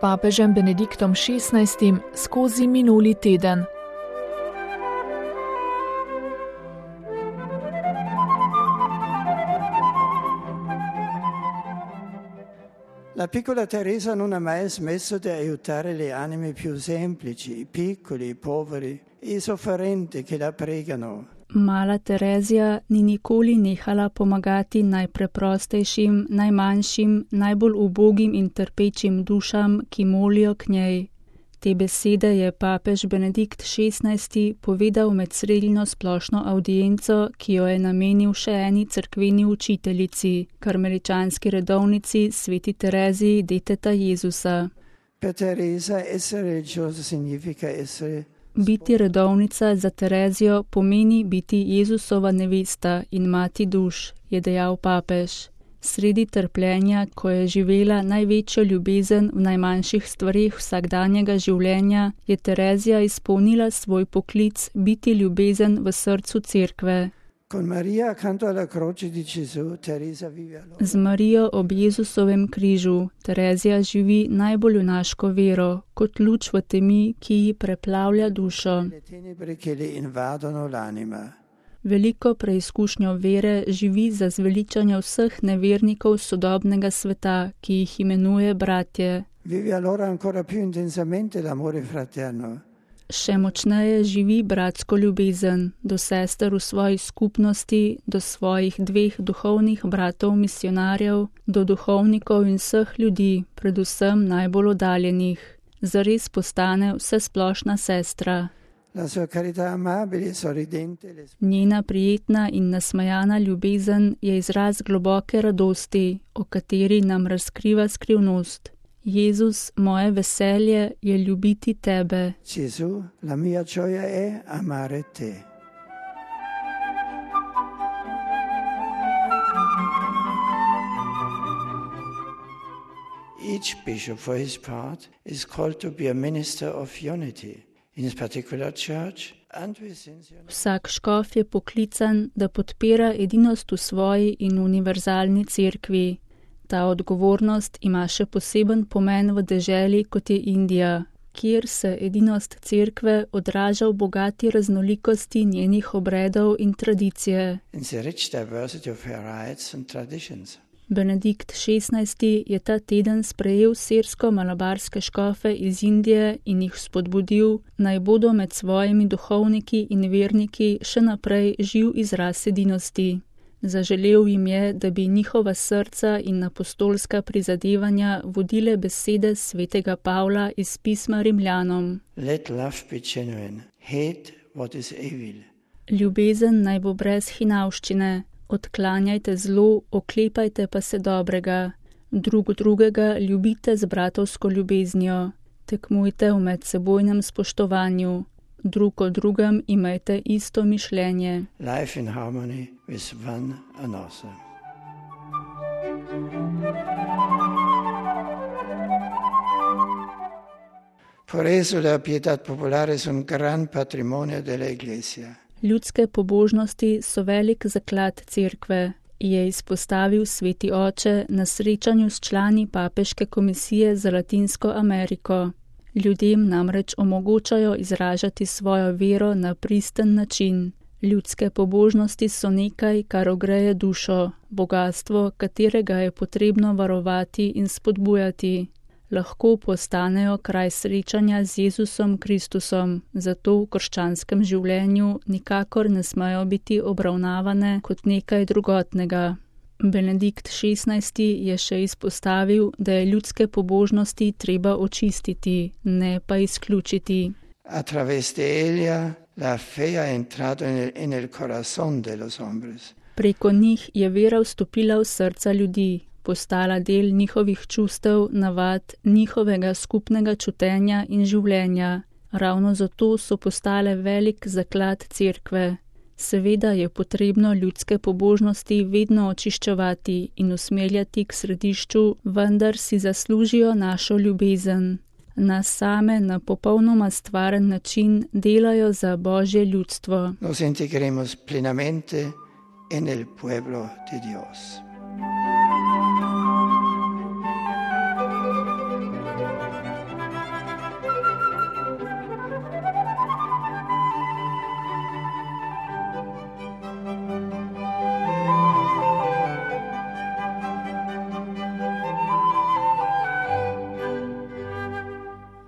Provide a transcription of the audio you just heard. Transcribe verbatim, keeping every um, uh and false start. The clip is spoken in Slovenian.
papežem Benediktom šestnajstim skozi minuli teden. La piccola Teresa non ha mai smesso di aiutare le anime più semplici, i piccoli, i poveri, i sofferenti che la pregano. Mala Terezija ni nikoli nehala pomagati najpreprostejšim, najmanjšim, najbolj ubogim in trpečim dušam, ki molijo k njej. Te besede je papež Benedikt šestnajsti povedal med sredino splošno avdienco, ki jo je namenil še eni cerkveni učiteljici, karmeličanski redovnici sveti Tereziji deteta Jezusa. Per Teresa essere religiosa significa essere Biti redovnica za Terezijo pomeni biti Jezusova nevesta in mati duš, je dejal papež. Sredi trpljenja, ko je živela največjo ljubezen v najmanjših stvareh vsakdanjega življenja, je Terezija izpolnila svoj poklic biti ljubezen v srcu cerkve. Con Maria accanto alla croce di Gesù, Teresa vive allora. Z Marijo ob Jezusovem križu Terezija živi najbolj junaško vero, kot luč v temi, ki ji preplavlja dušo. Le tenebre che le invadono l'anima. Veliko preizkušnjo vere živi za zveličanje vseh nevernikov sodobnega sveta, ki jih imenuje bratje. Vive allora ancora più intensamente l'amore fraterno. Še močneje živi bratsko ljubezen do sester v svoji skupnosti, do svojih dveh duhovnih bratov misionarjev, do duhovnikov in vseh ljudi, predvsem najbolj oddaljenih. Zares postane vsesplošna sestra. La sua carità amabile, sorridente, le Njena prijetna in nasmejana ljubezen je izraz globoke radosti, o kateri nam razkriva skrivnost. Jezus, moje veselje je ljubiti tebe. Gesù, la mia gioia è amare te. Each bishop for his part is called to be a minister of unity in his particular church and within the unity. Vsak škof je poklican, da podpira edinost v svoji in univerzalni cerkvi. Ta odgovornost ima še poseben pomen v deželi, kot je Indija, kjer se edinost cerkve odraža v bogati raznolikosti njenih obredov in tradicije. In the rich diversity of her rites and traditions. Benedikt šestnajsti je ta teden sprejel sirsko-malabarske škofe iz Indije in jih spodbudil, naj bodo med svojimi duhovniki in verniki še naprej živ izraz edinosti. Zaželel jim je, da bi njihova srca in apostolska prizadevanja vodile besede svetega Pavla iz pisma Rimljanom. Let love be genuine. Hate what is evil. Ljubezen naj bo brez hinavščine, odklanjajte zlo, oklepajte pa se dobrega. Drug drugega ljubite z bratovsko ljubeznijo, tekmujte v medsebojnem spoštovanju. Drug o drugem imajte isto mišljenje. Life in harmony with one another. Por eso la pietà popolare es un gran patrimonio della Iglesia. Ljudske pobožnosti so velik zaklad cerkve, je izpostavil sveti oče na srečanju s člani Papeške komisije za Latinsko Ameriko. Ljudem namreč omogočajo izražati svojo vero na pristen način. Ljudske pobožnosti so nekaj, kar ogreje dušo, bogastvo, katerega je potrebno varovati in spodbujati. Lahko postanejo kraj srečanja z Jezusom Kristusom, zato v krščanskem življenju nikakor ne smejo biti obravnavane kot nekaj drugotnega. Benedikt šestnajsti je še izpostavil, da je ljudske pobožnosti treba očistiti, ne pa izključiti. A través de ella la fe ha entrado en el, en el corazón de los hombres. Preko njih je vera vstopila v srca ljudi, postala del njihovih čustev, navad, njihovega skupnega čutenja in življenja. Ravno zato so postale velik zaklad cerkve. Seveda je potrebno ljudske pobožnosti vedno očiščevati in usmerjati k središču, vendar si zaslužijo našo ljubezen. Nas same na popolnoma stvaren način delajo za Božje ljudstvo. Nos integremos plenamente en el pueblo de Dios.